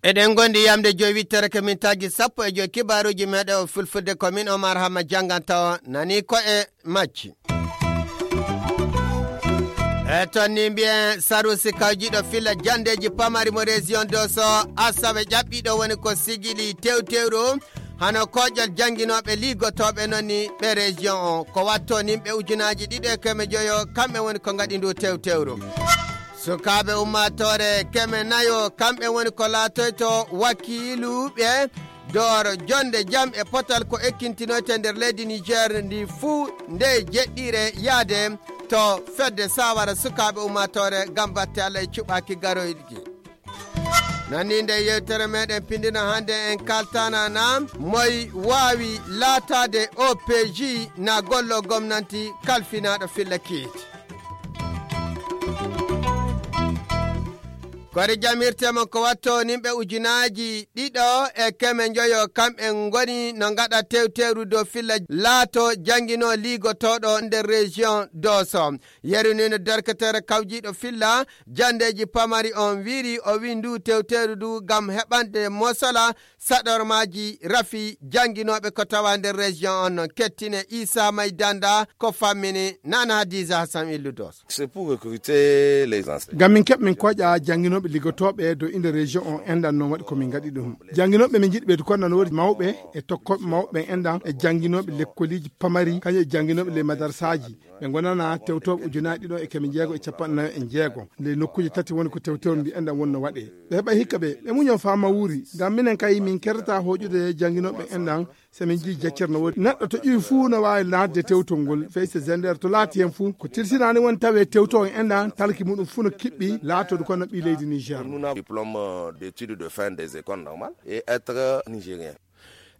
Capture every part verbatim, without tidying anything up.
Eɗen ngondi yamde joyi wittere ko mintaaji sappo e joyi kibaaruuji meɗen o fulfulde ko min Omar Hamma jannganta o nani ko e majji. E toon ni mbiyen sarusi kawjiɗo filla janndeeji pamari mo région de so asawe ƴaɓɓiɗo woni ko sigili tewtewru hano koƴol jannginooɓe liigotooɓe noon ni ɓe région o ko watto nimɓe ujunaaji ɗiɗo e keme joyo kamɓe woni ko ngaɗi ndu tewtewru. Sukaaɓe ummaatoore keme nayo kamɓe woni ko laatoyto wakiiluɓe dooro jonde jam e potal ko ekkintinoyte nder leydi Niger ndi fuu nde jeɗɗire yaade to fedde sawara sukaaɓe ummaatoore ngam batte Allah e cuɓaaki garoyɗi. Nani nde yewtere meɗen pindino hannde en kaltana na moy waawi laataade O P J na gollo gomnanti kalfinaaɗo filla kiit. Kori jamirte mon ko watto nimɓe ujunaaji ɗiɗo e keme njoyo kamɓe ngoni no ngaɗa tewtewru dow filla laato jannginoo liigotooɗo nder région Doso. Yeru ni no derketere kawjiiɗo filla janndeeji pamari on wiiri o wi ndu tewteeru ndu ngam heɓande mosala saɗormaaji rafi jannginooɓe ko tawa nder région on non kettine Isa May Danda ko fammini nana Hadiza Hassan Illu Doso. C'est pour recruter les enseignants. Ngam min keɓ min koƴa jannginooɓe liggotooɓe dow inde région on enɗan noon waɗi ko min ngaɗi ɗum. Jannginooɓe min njiɗi ɓeydu kon nan woodi mawɓe e tokkooɓe mawɓe enɗan e jannginooɓe lekkoliiji pamari kañum e jannginooɓe ley madarsaaji. Ɓe ngonana tewtooɓe ujunaaji ɗiɗo e keme jeego e capanɗe nayo e jeego. Nde nokkuuje tati woni ko tewtewre mbi enɗan wonno waɗee. Ɓe heɓa hikka ɓe, ɓe muñon faa mawuri. Ngam minen kay min kertata hooƴude jannginooɓe enɗan. So min njii jeccere no woodi. Neɗɗo to ƴuwi fuu no waawi naatde tewtol ngol. Fey so gender to laati heen fuu. Ko tilsinaani woni tawee tewtoo enɗan talki muɗum fuu no kiɓɓi laatodu kono ɓii leydi Niger. Nous n'avons diplôme d'études de fin des écoles normales et être nigérien.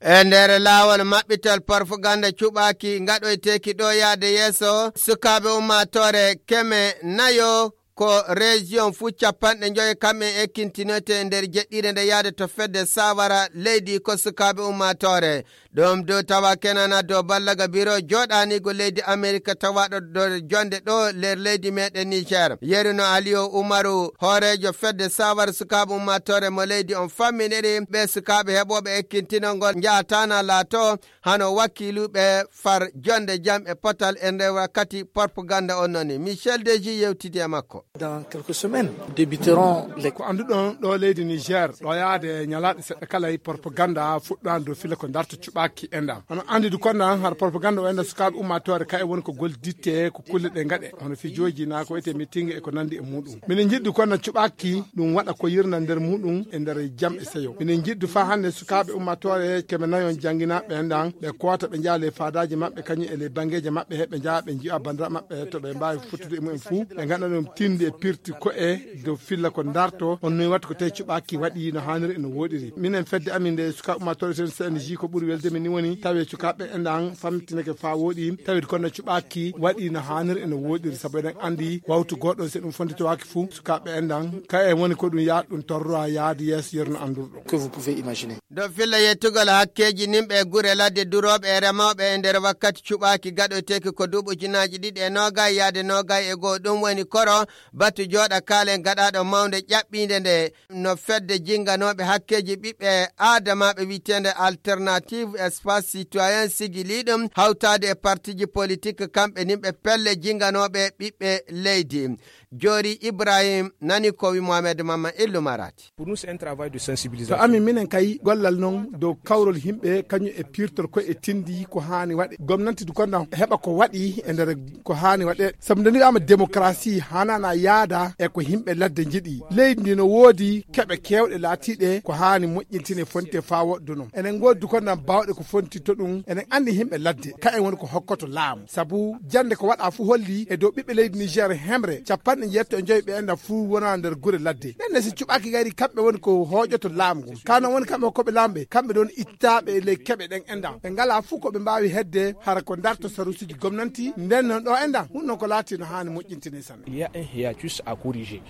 E nder laawol maɓɓital parfuganda cuɓaaki ngaɗoyteeki ɗo yaade yeeso sukaaɓe ummaatoore keme nayo ko région fuu capanɗe njoyo kamɓe ekkintinoyte e nder jeɗɗire nde yaade to fedde sawara leydi ko sukaaɓe ummaatoore. Ɗum dow tawa kenana dow ballaga biro jooɗaaniigo leydi Amerika tawaaɗo dow jonde ɗo nder leydi meɗen Niger. Yeruno Aliyo Umaru hooreejo fedde sawara sukaaɓe ummaatoore mo leydi on famminiri ɓe sukaaɓe heɓooɓe ekkintinol ngol njaataana laato hano wakiiluɓe far jonde jam e potal e nder wakkati propaganda on noni. Michel Deji yewtidi e makko. Dans quelques semaines, débuteront les ko annduɗon ɗo leydi Niger ɗo yaade ñalaaɗe seɗɗa kala e propaganda fuɗɗaani dow fila ko darta cuɓaaki enɗan. Hono anndude kon nan har propaganda o enɗan sukaaɓe ummaatoore kay woni ko golditte ko kulle ɗe ngaɗe hono fijooji na ko wiyetee meeting e ko nanndi e muɗum. Minen njiɗdu kon nan cuɓaaki ɗum waɗa ko yirna nder muɗum e nder jam e seyo. Minen njiɗdu faa hannde sukaaɓe ummaatoore keme nayon jannginaaɓe enɗan ɓe koota ɓe njaha ley faadaaji maɓɓe kañum e ley banngeeji maɓɓe he ɓe njaha ɓe nji'a banndiraaɓe maɓɓe to ɓe mbaawi fottude e mumen fuu ɓe ngaɗa ɗum tinde e pirti ko'e dow filla ko darto on noy watta ko tawi cuɓaaki waɗi no haaniri e no wooɗiri. Minen fedde amin nde sukaaɓe ummaatoore sen C N J ko ɓuri welde min ni woni tawi sukaaɓe enɗan famtinake faa wooɗi tawi kono cuɓaaki waɗi no haaniri e no wooɗiri sabu eɗen anndi wawtu gooɗo si ɗum fonditowaaki fuu sukaaɓe enɗan ka en woni ko ɗum yaha ɗum torra yaade yeeso yerno anndurɗo. Que vous pouvez imaginer. Dow filla yettugol hakkeeji nimɓe e gure ladde durooɓe e remooɓe e nder wakkati cuɓaaki gaɗoyteeki ko duuɓi ujunaaji ɗiɗi e noogay yaade noogay e goo ɗum woni koro batu jooɗa kaalen gaɗaaɗo mawnde ƴaɓɓiinde nde no fedde jinnganooɓe hakkeeji ɓiɓɓe aadamaaɓe wiyeteende Alternative Espace Citoyen sigilii ɗum hawtaade e partiiji politik kamɓe nimɓe pelle jinnganooɓe ɓiɓɓe leydi. Joori Ibrahim nani ko wi Mohamed Mamman Illu Marati. Pour nous c'est un travail de sensibilisation. To amin minen kay gollal noon dow kawrol yimɓe kañum e pirtol ko e tindi ko haani waɗe gomnanti du konnan heɓa ko waɗi e nder ko haani waɗe sabu nde wiyaama démocratie hanana yaada e ko yimɓe ladde njiɗi leydi ndi no woodi keɓe kewɗe laatiɗe ko haani moƴƴintine fonte faa woɗɗuno enen ngoodi du konnan baawɗe ko fonti to ɗum enen anndi yimɓe ladde ka en woni ko hokkoto laamu sabu jannde ko waɗa fuu holli e dow ɓiɓɓe leydi Niger hemre capanɗe njeetto e njoy ɓe enɗan fuu wona nder gure ladde ɗen ne si cuɓaaki gayri kamɓe woni ko hooƴoto laamu ngun ka noon woni kamɓe hokkoɓe laamu ɓe kamɓe ɗon ittaaɓe e ley keɓe ɗen enɗan ɓe ngalaa fuu ko ɓe mbaawi hedde hara ko darto saruusiiji gomnanti nden noon ɗo enɗan ɗum noon ko laati no haani moƴƴintine sanne. Il y a un hiatus à corriger.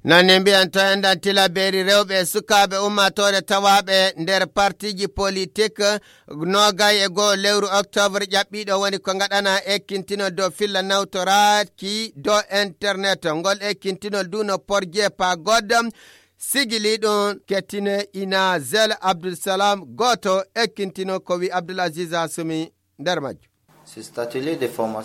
Noon ne mbiyen to enɗan tilabeeri rewɓe e sukaaɓe ummaatoore tawaaɓe nder partiiji politik. Noogay e goo lewru octobre ƴaɓɓiiɗo woni ko ngaɗana ekkintinol dow filla nawtoraaki dow internet. Ngol ekkintinol du no porje pa goddam sigili ɗum kettine ina Zel Abdul Salam gooto ekkintinol ko wi Abdul Aziz Asumi nder majju.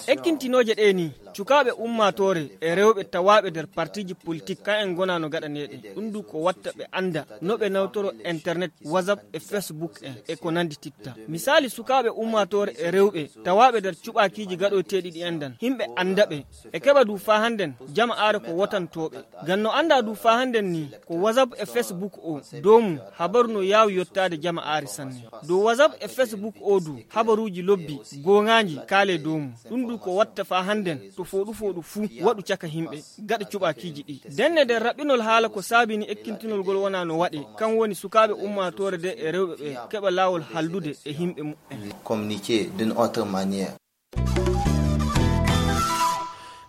Ekkintinooje ɗee ni, cukaaɓe ummaatoore e rewɓe tawaaɓe nder partiiji politik, kan en ngonaa no gaɗaneeɗe. Ɗum du ko watta ɓe annda no ɓe nawtoro internet, WhatsApp e Facebook en e ko nanndi titta. Misaali, sukaaɓe ummaatoore e rewɓe tawaaɓe nder cuɓaakiiji gaɗoyteeɗi ɗi enɗan, himɓe annda ɓe. E keɓa du faa hannden jama aare ko wotantooɓe. Ngam no annda du faa hannden ni, ko WhatsApp e Facebook o, dow mum habaru no yaawi yottaade jama aare sanne. Dow WhatsApp e Facebook o du, habaruuji lobbi, gooŋaaji, kaale dow mum. Ɗum du ko watta faa hannden to fooɗu fooɗu fuu waɗu caka himɓe, gaɗa cuɓaakiiji ɗi. Ndenne nder raɓɓinol haala ko saabini ekkintinol ngol wonaa no waɗe, kan woni sukaaɓe ummaatoore de e rewɓe ɓe keɓa laawol haldude e himɓe muɓɓen. Communiquer d'une autre manière.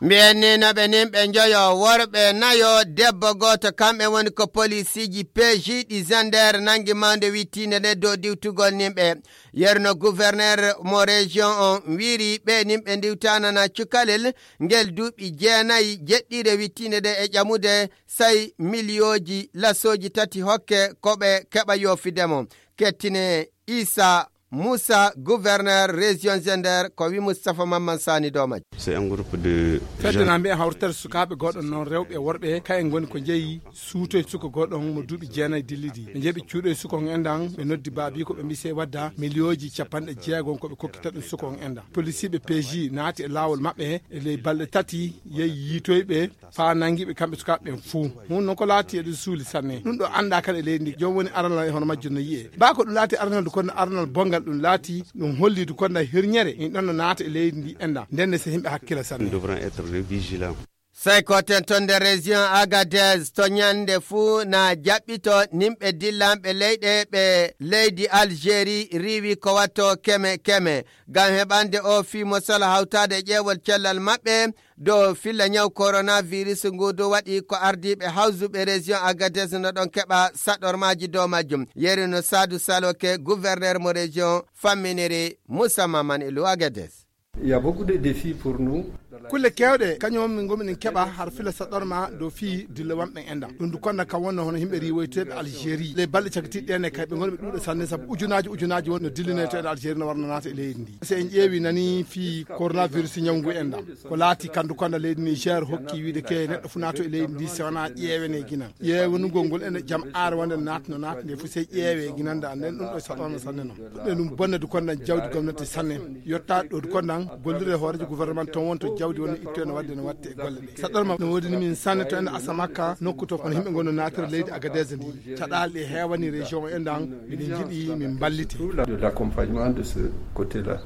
Mbiyen ni no ɓe nin ɓe njoyo, worɓe nayo, debbo gooto, kamɓe woni ko polisiiji P J ɗi Zender nangi mawnde wittiinde nde dow diwtugol nin ɓe. Yerno gouverneur mo région on wiiri ɓe nin ɓe ndiwtanana cukalel ngel duuɓi jeenayi jeɗɗiire wittiinde nde e ƴamude say miliyooji lasooji tati hokke ko ɓe keɓa yoofide mo. Kettine Isa Moussa, gouverneur région Zender, ko wi Moustapha Mamman Sani Domaj. C'est un groupe de fedde jeunes. Na mbiya hawritere sukaaɓe goɗɗo noon rewɓe e worɓe, kayen ngoni ko jeyi suutoy suka goɗɗo on mo duuɓi jeenayi dillidi. Ɓe jeeɓi cuuɗoy suka on enɗan, ɓe noddi baabi ko ɓe mbi sey wadda miliyooji capanɗe jeegom ko ɓe kokkita ɗum suka on enɗan. Polisiiɓe P J naati e laawol maɓɓe e ley balɗe tati, yehi yiitoyɓe faa nangi ɓe kamɓe sukaaɓe ɓen fuu. Hun non ko laati eɗum suuli sanne. Ɗum ɗo anndaa kala e leydi ndi. Joom woni aranal e hono majjum no yi'e. Baa ko ɗum laati aranal du konda aranal bongal ɗum laati, ɗum holli du konda hirñere. In ɗon no naata e leydi ndi enɗan. Ndenne se himɓe hakkila sanne. Nous devrons être vigilants. Sey ko ten ton nder région Agadez to ñande fuu na jaɓɓito nimɓe dillanɓe leyɗe ɓe leydi Algérie riiwi ko watto keme keme. Ngam heɓande o fii mosol hawtaade e ƴeewol cellal maɓɓe, dow filla ñaw coronavirus ngu dow waɗi ko ardiiɓe hawsuɓe région Agadez no ɗon keɓa saɗormaaji dow majjum. Yeri no Saadu Saloke, gouverneur mo région, famminiri Moussa Maman Elu Agadez. Il y a beaucoup de défis pour nous. Kulle keewɗe, kañum min ngomi min keɓa har fila saɗorma dow fii dille wamɓe enɗan. Ɗum du konda kam wonno hono yimɓe riiwoyteeɓe Algérie. Les balɗe cakitiiɗe ɗen e kay ɓe ngoni ɓe ɗuuɗe sanne, sabu ujunaaji ujunaaji won no dillinee to en Algérie no warno naata e leydi ndi. So en ƴeewi nani fii coronavirus ñawngu enɗan. Ko laati kandu konda leydi Niger hokki wiide ke neɗɗo fu naato e leydi ndi si wona ƴeewene ginan. Ƴeewanugol ngol ene jam aare wonde naata no naata nde fu sey ƴeewe ginande an nden ɗum ɗo saɗano sanne non. Ɗum ɗo ɗum bonnade kondan jawdi gomnati sanne. Yotta ɗo kondan gollirde e hooreejo gouvernement ton wonto jawdi woni itto ene wadde no watte e golle ɗe. Saɗɗorma no woodi ni min sanne to ene Asamaka nokku to kono yimɓe ngonno naatira leydi Agadez ndi. Caɗaali ɗe heewani région o enɗan miɗen njiɗi min mballite. Surtout la, de l'accompagnement de ce côté-là.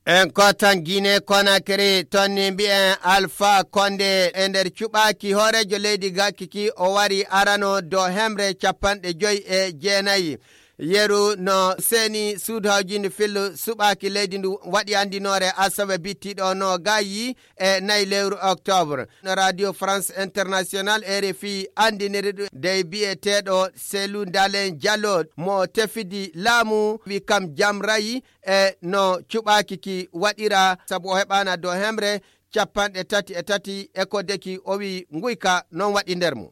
En kottan Guinée Conakry, ton ni mbi'en Alpha Condé e nder cuɓaaki hooreejo leydi gakki ki o wari arano dow hemre capanɗe joyi e jeenayi. Yeru no seeni suudu hawjinde fillu suɓaaki leydi ndu waɗi anndinoore asawe bittiiɗo no gayi e nayi lewru octobre. No Radio France International, R F I, anndiniri ɗum dey biyeteeɗo Cellou Dalein Diallo mo tefidi laamu wi kam jam rayi e no cuɓaaki ki waɗira sabu o heɓaana dow hemre capanɗe tati e tati e ko deki o wi nguyka noon waɗi nder mum.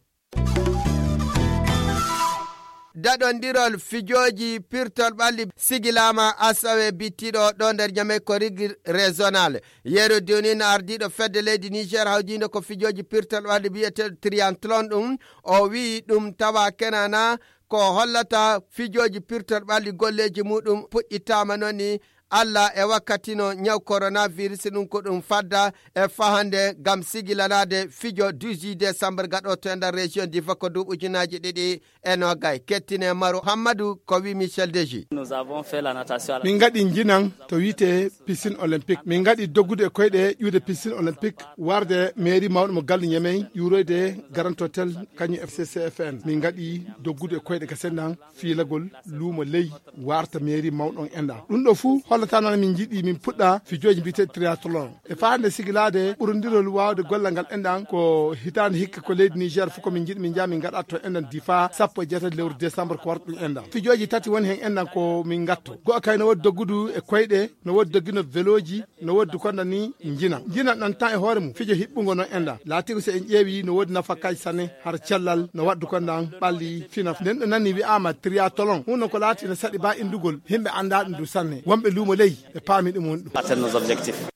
Daɗondirol fijooji pirtol ɓalli sigilaama asawe bittiiɗo ɗo nder Ñamey ko rigi régional. Yeru duni no ardiiɗo fedde leydi Niger hawjiinde ko fijooji pirtol ɓalli biyeteeɗo triathlon ɗum. O wi'i ɗum tawa kenana ko hollata fijooji pirtol ɓalli golleeji muɗum puɗɗitaama noon ni Allah e wakkati no ñaw coronavirus ɗum ko ɗum fadda e fahande ngam sigilanaade fijo dix-huit décembre gaɗo to e nder région Difa ko duuɓi ujunaaji ɗiɗi e noogay. Kettine Maru Hammadu ko wi Michel Deji. Nous avons fait la natation à la Min ngaɗi njinan to wiyetee piscine olympique. Min ngaɗi doggude e koyɗe ƴuude piscine olympique warde mairie mawɗo mo galle Ñamey ƴuuroyde Grand Hôtel kañum F C C F N. Min ngaɗi doggude e koyɗe gasendan fiilagol luumo ley warta mairie mawɗo on enɗan. Ɗum ɗo fuu Tana min njiɗi min puɗɗa fijooji mbiyeteeɗi triathlon. E faande sigilaade ɓurondirol waawde gollal ngal enɗan ko hitaande hikka ko leydi Niger fof ko min njiɗi min njaa min ngaɗa to enɗan Difa sappo e jeetati lewru décembre ko warta ɗum enɗan. Fijooji tati woni heen enɗan ko min ngatto. Go'o kay no woodi doggudu e koyɗe, no woodi doggino velooji, no woodi konda ni njina. Njina ɗan tan e hoore mum fijo hiɓɓungo noon enɗan. Laatiiko so en ƴeewi no woodi nafakaaji sanne har cellal no waɗdu kondan ɓalli fina. Nden ɗo nani wi'aama triathlon. Huunde ko laati no saɗi ba inndugol. Himɓe anndaa ɗum du sanne. Wonɓe luumo ley ɓe paami ɗum woni ɗum. Atteindre nos objectifs.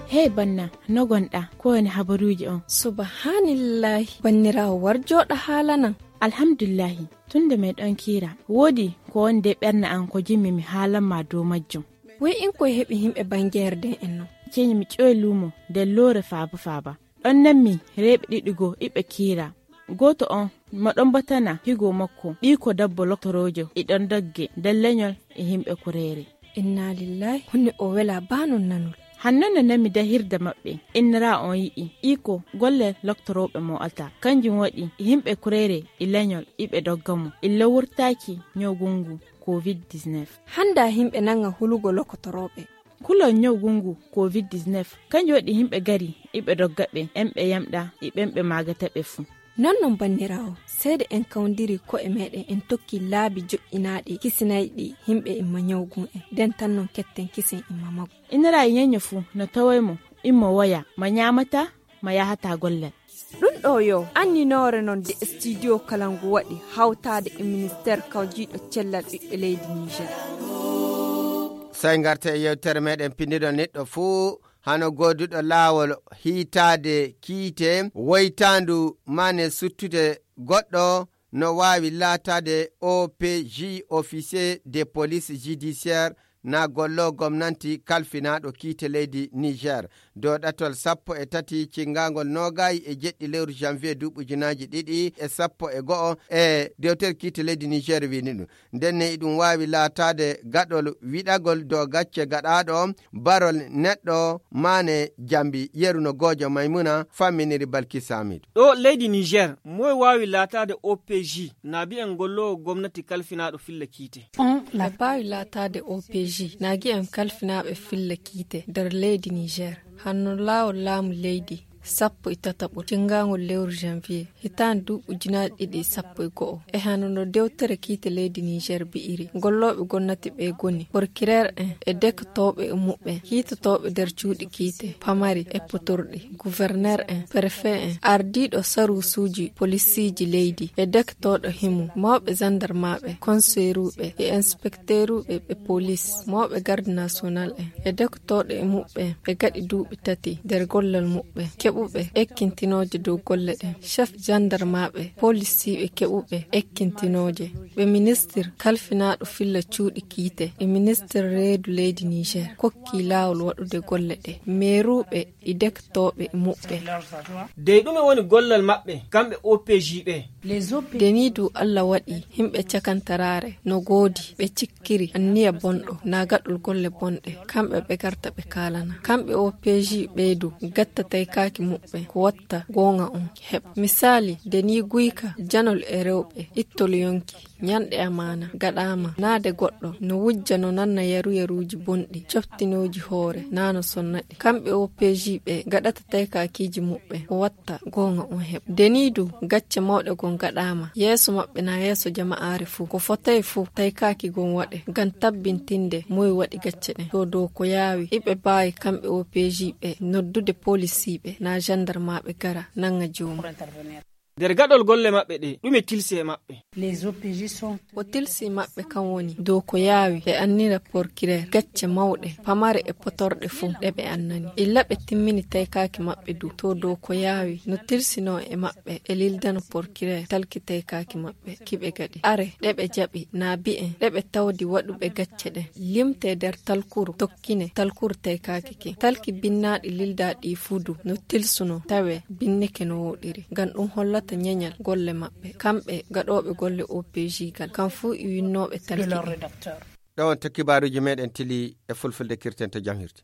Hey banna, no gonɗa? Ko woni habaruuji on? Subhanallahi, banniraawo war jooɗa haalanan. Alhamdulillahi, tun nde meɗon kiira, woodi ko woni de ɓernde an ko jimmi mi haalan ma dow majjum. Woy in koye heɓi himɓe bangeerde en non. Ceñi mi ƴoy luumo nder loore faaba faaba. Ɗon nanmi reeɓe ɗiɗi goo iɓe kiira. Gooto on mo ɗon batana higo makko, ɓiiko dabbo loktoroojo, iɗon dogge nder leñol e himɓe kureere. Inna lillahi, honno o wela ba non nanol. Hanno no nami dahirde maɓɓe, innira on yi'i iko golle loktorooɓe mo alta. Kanjum waɗi yimɓe kureere e leñol iɓe dogga mo illa wurtaaki ñawgu ngu covid dix-neuf. Hannda yimɓe nanga hulugo lokotorooɓe. Kulol ñawgu ngu covid dix-neuf, kanjum waɗi yimɓe gari iɓe dogga ɓe, en ɓe yamɗa e ɓen ɓe maagata ɓe fuu. Non non banniraawo, seede en kawndiri ko'e meɗen en tokki laabi joƴƴinaaɗi kisinayɗi yimɓe imma ñawgu en, nden tan non ketten kisen imma maggu. Inira e ñeño fuu no taway mo, immo woya, ma ñaamata, ma yahata gollal. Ɗum ɗo yo anninoore non de studio kala ngu waɗi hawtaade e ministeer kawjiiɗo cellal ɓiɓɓe leydi Niger. Sey ngarta e yewtere meɗen pindiɗo neɗɗo fuu hano gooduɗo laawol hiitaade kiite woytaandu mane suttude goɗɗo no waawi laataade O P J, officier de police judiciaire, na gollo gomnanti kalfinaaɗo kiite leydi Niger. Dow ɗatol sappo e tati cinngangol noogay e jeɗɗi lewru janvier duuɓi ujunaaji ɗiɗi e sappo e go'o e dewtere kiite leydi Niger wini ɗum. Ndenne iɗum waawi laataade gaɗol wiɗagol dow gacce gaɗaaɗo barol neɗɗo maane jambi yeru no goojo Maymuna famminiri Balki Samidu. Ɗo leydi Niger, moy waawi laataade O P J, na bi'en golloowo gomnati kalfinaaɗo filla kiite? On la baawi laataade O P J, na gi'en kalfinaaɓe filla kiite nder leydi Niger. Hanno laawol laamu leydi sappo e tataɓol cinngangol lewru janvier hitaande duuɓi ujunaaji ɗiɗi e sappo e go'o. E hano no dewtere kiite leydi Niger bi'iri, gollooɓe gomnati ɓe goni porkireer en e dektooɓe e muɓɓen, kiitotooɓe nder cuuɗi kiite pamari e potorɗi, guverneer en, prefet en, ardiiɗo saruusuuji polisiiji leydi e dektooɗo himo, mawɓe jandarmaaɓe, konseeruuɓe e inspekteeruuɓe ɓe polis, mawɓe garde national en e dektooɗo e muɓɓen ɓe gaɗi duuɓi tati nder gollal muɓɓen, keɓuɓe ekkintinooje dow golle ɗen, chef jandarmaaɓe, polisiiɓe keɓuɓe ekkintinooje, ɓe ministir kalfinaaɗo filla cuuɗi kiite e ministir reedu leydi Niger kokki laawol waɗude golle ɗe, meeruuɓe e dektooɓe e muɓɓen. Dey ɗume woni gollal maɓɓe, kamɓe O P J ɓe? Deni du Allah waɗi yimɓe cakantaraare no goodi ɓe cikkiri anniya bonɗo na gaɗol golle bonɗe, kamɓe ɓe garta ɓe kaalana. Kamɓe O P J ɓe du gatta taykaaki muɓɓen ko watta goonga on heɓa. Misaali, deni guyka janol e rewɓe, ittol yonki, ñanɗe amaana gaɗaama, naade goɗɗo no wujja no nanna yaru yaruuji bonɗi, coftinooji hoore, na no sonna ɗi. Kamɓe O P J ɓe gaɗata taykaakiiji muɓɓen ko watta goonga on heɓa. Deni du gacce mawɗe gon gaɗaama yeeso maɓɓe na yeeso jama'aare fuu. Ko fotay fuu taykaaki gon waɗe ngam tabbintinde moy waɗi gacce ɗen. To dow ko yaawi, iɓe baawi kamɓe O P J ɓe noddude polisiiɓe na jandarmaaɓe gara nanga joomum. Nder gaɗol golle maɓɓe ɗe, ɗume tilsi e maɓɓe? Ko tilsi maɓɓe kan woni dow ko yaawi ɓe annira porkireer gacce mawɗe, pamare e potorɗe fuu ɗe ɓe annani. Illa ɓe timmini taykaaki maɓɓe du, to dow ko yaawi no tilsinoo e maɓɓe e lildano porkireer talki taykaaki maɓɓe ki ɓe gaɗi. Are ɗe ɓe jaɓi na bi'en ɗe ɓe tawdi waɗuɓe gacce ɗen. Limtee nder talkuru, tokkine talkuru taykaaki ki. Talki binnaaɗi lildaaɗi fuu du no tilsunoo tawee binnike no wooɗiri. Ngam ɗum hollata ñeñal golle maɓɓe, kamɓe gaɗooɓe golle O P J gal, kam fuu e winnooɓe talki ɗin. Ɗo on to kibaaruuji meɗen tili e fulfulde kirten to jam hirti.